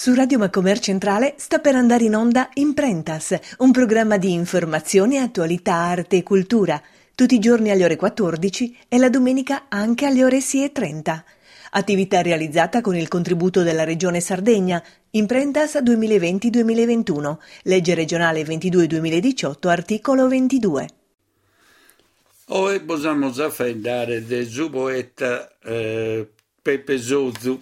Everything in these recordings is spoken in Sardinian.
Su Radio Macomer Centrale sta per andare in onda Imprentas, un programma di informazione, attualità, arte e cultura, tutti i giorni alle ore 14 e la domenica anche alle ore 6.30. Attività realizzata con il contributo della Regione Sardegna, Imprentas 2020-2021, legge regionale 22-2018, articolo 22. Oe bos amus a faeddare de su poeta Pepe Sozu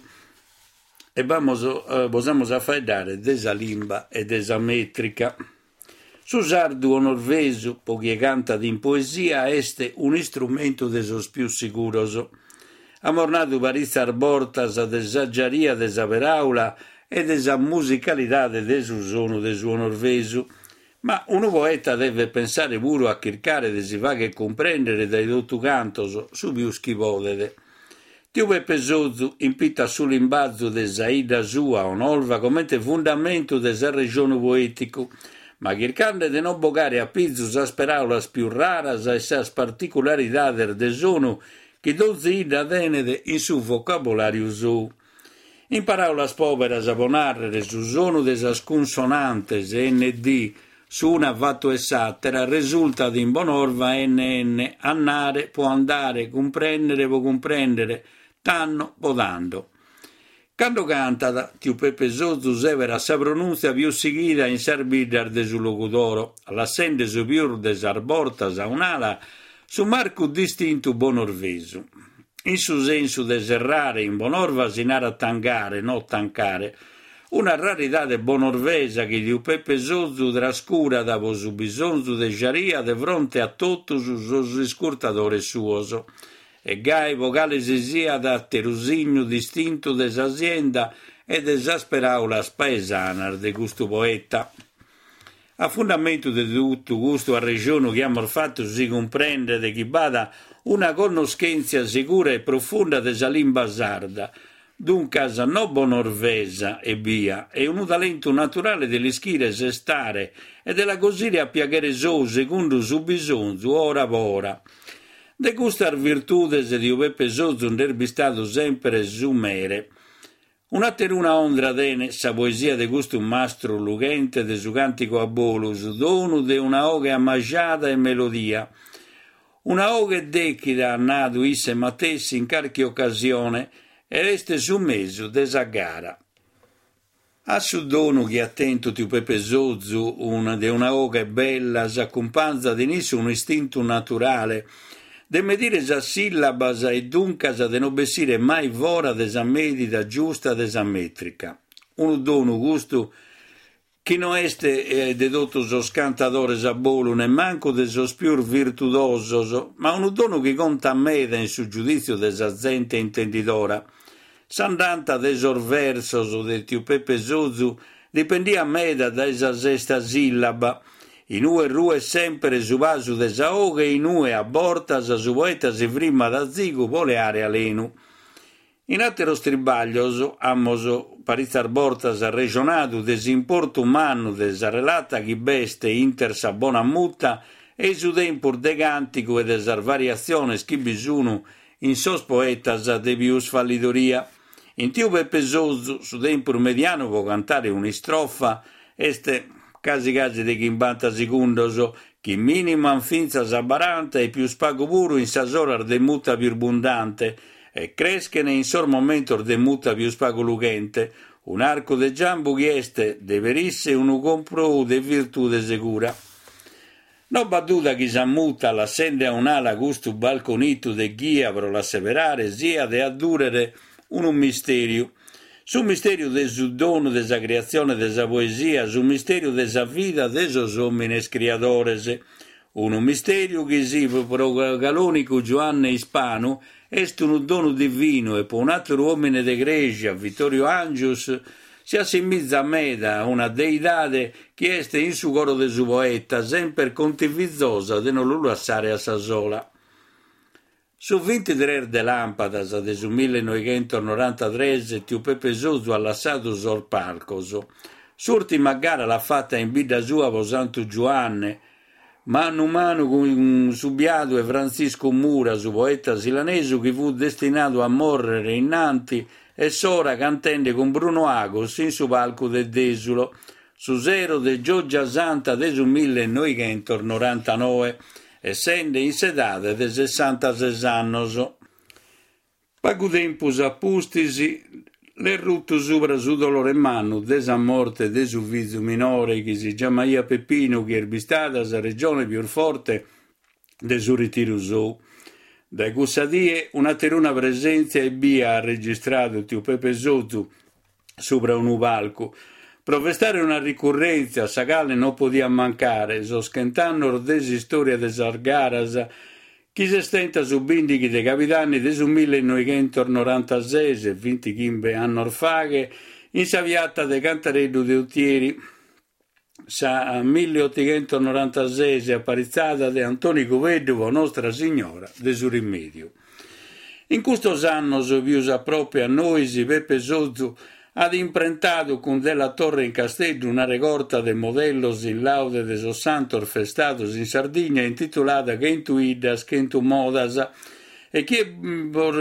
e b'amus bos amus a faeddare de sa limba e de sa mètrica. Su sardu 'onorvesu, pro chie cantat in poesia, est un'istrumentu de sos pius siguros. Amus nadu paritzas bortas de sa giaria de sa peràula e de sa musicalidade de su sonu de su 'onorvesu, Ma unu poeta devet pensare puru a chircare de si fagher cumprèndere dae totu cantos su pius chi podet. Tiu Pepe Sozu impitat su limbazu de sa 'idda sua, 'Onolva, comente fundamentu de s'arrejonu poèticu, ma chircande de non bogare a pizu sas peràulas pius raras e sas particularidades de sonu chi donzi 'idda tenet in su vocabolàriu sou. In paràulas pòberas, pro nàrrere, su sonu de sas cunsonantes ND, s'una fatu 'e s'àtera, resultat in Bonorva NN, annare pro andare, cumprèndere pro cumprèndere, tanno pro tando. Cando cantat, tiu Pepe Sozu sèberat sa pronùntzia pius sighida in sas biddas de su Logudoro, lassende su pius de sas bortas a un'ala su marcu distintu bonorvesu. In su sensu de serrare, in Bonorva si narat tangare, no tancare. Una raridade bonorvesa chi tiu Pepe Sozu trascurat pro su bisonzu de jaria de fronte a totus sos iscurtadores suos. E gai pro cale si siat àteru signu distintu de sa sienda e de sas peràulas paesanas de custu poeta. A fundamentu de totu custu arrejonu chi amus fatu si cumprendet chi b'at una connoschèntzia segura e profunda de sa limba sarda, duncas no bonorvesa ebbia, e unu talentu naturale de l'ischire sestare e de la cosire a piaghere sou segundu su bisonzu ora po ora. De custas virtudes tiu Pepe Sozu nd'est bistadu semper su mere. Un'ateruna ondra tenet sa poesia de custu mastru lughente de su càntigu a bolu, su donu de una 'oghe ammajada e melodia. Una 'oghe dèchida, at nadu isse matessi in carchi ocasione, e est su mesu de sa gara. A su donu chi at tentu tiu Pepe Sozu de una 'oghe bella s'acumpanzat in issu unu istintu naturale De medire sas sìllabas e duncas de no bessire mai fora de sa medida giusta de sa mètrica. Unu donu custu chi no est de totu sos cantadores a bolu, nemmancu de sos pius virtudosos, ma unu donu chi contat meda in su giudìtziu de sa zente intendidora. S'andanta de sos versos de tiu Pepe Sozu dipendiat meda dae sa sesta sìllaba, in ue ruet semper su pasu de sa 'oghe e in ue a bortas su poeta si frimmat azigu pro leare alenu. In àteros tribàglios amus paritzas bortas arrejonadu de s'importu mannu de sa relata chi b'est inter sa bona muta e su tempus de càntigu e de sas variatziones chi bi sun in sos poetas de pius fallidoria. In tiu Pepe Sozu su tempus medianu pro cantare un'istrofa est casi casi de chimbanta segundos, chi miniman fintzas a baranta e pius pagu puru in sas oras de muta pius bundante e creschen in sos momentos de muta pius pagu lughente, un'arcu de giambu chi est de perisse unu comprou de virtude segura. No b'at duda chi sa muta, lassende a un'ala custu balconitu de ghia pro la seberare, siat e adduret unu mistèriu. Su mistèriu de su donu de sa criatzione de sa poesia, su mistèriu de sa vida de sos òmines criadores. Unu mistèriu chi si pro calònicu Giuanne Ispanu est unu donu divinu e pro un'àteru òmine de crèsia, Vittorio Angius, Si assimizat meda a una deidade chi est in su coro de su poeta, semper contivizosa de no lu lassare a sa sola. Su vintitres de làmpadas de su millenoighentosnorantatres tiu Pepe Sozu at lassadu sos palcos. S'ùrtima gara l'at fata in bidda sua pro Santu Giuanne, manu manu cun su biadu 'e Frantziscu Mura, su poeta silanesu chi fut destinadu a mòrrere innanti. e s'ora cantende cun Bruno Agus in su palcu de Desulo, su sero de Gioggia Santa de su millenoighentos-norantanoe, essende in s'edade de sessantases annos. Pagu tempus a pustis l'est rutu subra su dolore mannu de sa morte de su fizu minore chi si giamaiat Peppinu chi est bistada sa rejone pius forte de su ritiru sou. Dae cussa die un'ateruna presèntzia ebbia at registradu tiu Pepe Sozu subra unu palcu pro festare una ricurrèntzia a sa cale non podiat mancare, sos chent'annos de s'istòria de sas garas chi s'est tenta su bìndighi de cabidanni de su millenoighentos-norantases, bintighimbe annos faghe, in sa piata de Cantareddu de Utieri. Sa milliotighentos-norantases aparitzada de Antoni Cubeddu pro Nostra Signora de su Rimèdiu. In custos annos pius a prope a nois Pepe Sozu at imprentadu cun Della Torre in Casteddu una regorta de modellos in laude de sos santos festados in Sardigna intitulada Chentu 'iddas, chentu modas e chie bos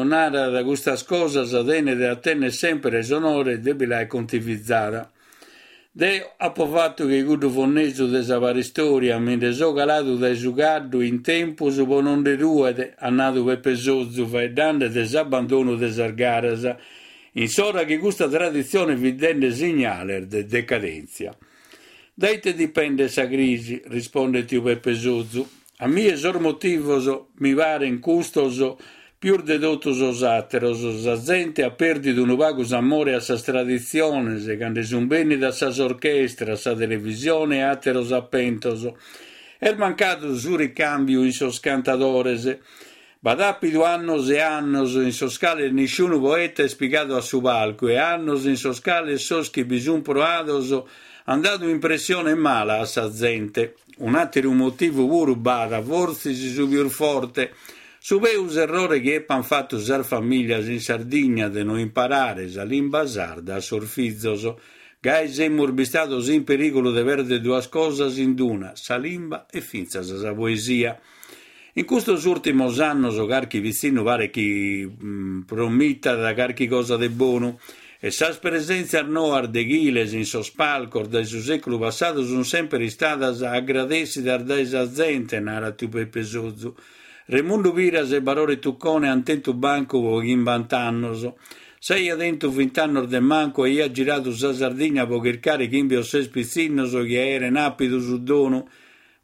narat custas cosas tenet a tenner semper s'onore de bi l'aer contivizada. Deo apo fatu che cuddu fonnesu de sa paristoria, mi nde so caladu dae su caddu in tempus pro non nde rùere, at nadu Pepe Sozu faeddande de s'abbandonu de sas garas, in s'ora chi custa traditzione fit dende signales de decadèntzia. Dae ite dipendet sa crisi? rispondet tiu Pepe Sozu. A mie sos motivos mi paren custos pius de totu sos àteros, sa zente at pèrdidu unu pagu s'amore a sas traditziones ca nde sun bènnidas sas orchestras, sa televisione e àteros apentos. Est mancadu su ricàmbiu in sos cantadores. B'at àpidu annos e annos in sos cales nisciunu poeta est pigadu a su palcu e annos in sos cales sos chi bi sun proados an dadu impressione mala a sa zente. Un'àteru motivu puru b'at, fortzis su pius forte, su peus errore chi epan fatu sas famìlias in Sardigna de no imparare sa limba sarda a sos fizos. Gai semus bistados in perìgulu de pèrdere duas cosas in d'una, sa limba e fintzas sa poesia. In custos ùrtimos annos carchi pitzinnu paret chi promitat carchi cosa de bonu e sas presèntzias noas deghiles in sos palcos dae su sèculu passadu sunt semper istadas agradèssidas dae sa zente, narat tiu Pepe Sozu. Remundu Piras e Barore Tuccone ant tentu bancu pro chimbant'annos. S'aia tentu vint'annos de mancu aia giradu sa Sardigna pro chircare chimbe o ses pitzinnos chi aeren àpidu su donu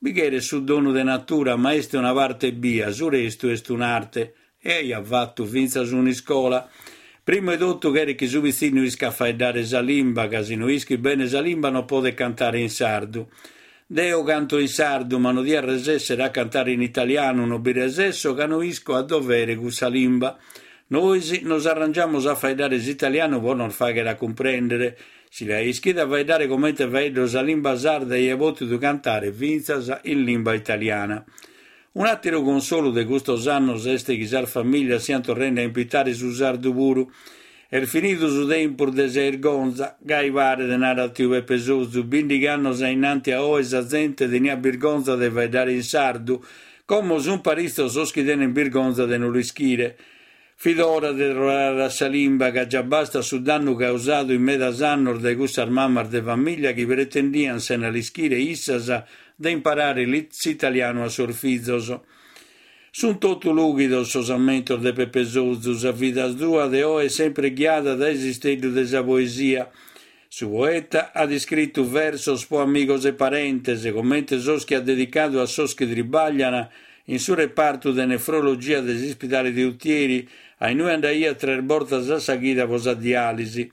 Bi cheret su donu de natura, ma est una parte ebbia, su restu est un'arte. E aiat fatu fintzas un'iscola. Primu 'e totu cheret chi su pitzinnu iscat faeddare sa limba, ca si no ischit bene sa limba non podet cantare in sardu. Deo canto in sardu, ma no dia resèssere a cantare in italianu, no bi resesso ca no isco a dovere cussa limba. Nois nos arrangiamus a faeddare s'italianu pro nos fàghere a cumprèndere. Si l'aia ischida faeddare comente faeddo sa limba sarda aia pòtidu cantare fintzas in limba italiana. Un'àteru consolu de custos annos est chi sas famìlias siant torrende a impitare su sardu puru. Est finidu su tempus de sa 'irgonza, gai paret, narat tiu Pepe Sozu, bìndighi annos a innanti a oe sa zente teniat birgonza de faeddare in sardu, como sunt paritzos sos chi tenent birgonza de no l'ischire. Fit ora de torrare a sa limba, ca già bastat su dannu causadu in medas annos dae cussas mamas de famìllia chi pretendian, sena l'ischire issas, de imparare s'italianu a sos fizos. Sunt totu lùghidos sos ammentos de Pepe Sozu, sa vida sua de oe est sempre ghiada dae s'isteddu de sa poesia. Su poeta at iscritu versos pro amigos e parentes, comente sos chi at dedicadu a sos chi tribaglian in su repartu de nefrologia de s'ispidale de Utieri, a inue andaiat tres bortas a sa chida pro sa diàlisi.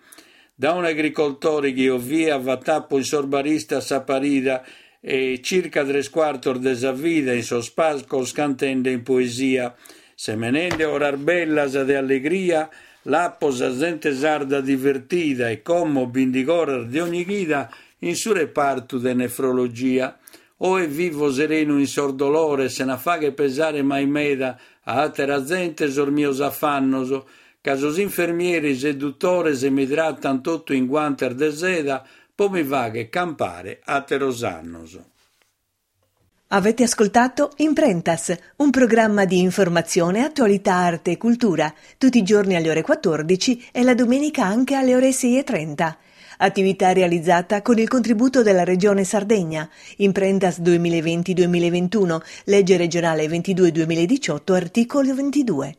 Da un'agricoltore chi eo fia fat'apo in sos baristas sa parida e circa tres cuartos de sa vida in sos palcos cantende in poesia, semenende oras bellas de allegria L'apo sa zente sarda divertida e como bindigh'oras de ogni chida in su repartu de nefrologia. Oe vivo serenu in sos dolores sena fagher pesare mai meda a àtera zente sos mios afannos, ca sos infermieris e dutores mi tratan totu in guantes de seda po mi fagher campare àteros annos. Avete ascoltato Imprentas, un programma di informazione, attualità, arte e cultura, tutti i giorni alle ore 14 e la domenica anche alle ore 6.30. Attività realizzata con il contributo della Regione Sardegna. Imprentas 2020-2021, legge regionale 22-2018, articolo 22.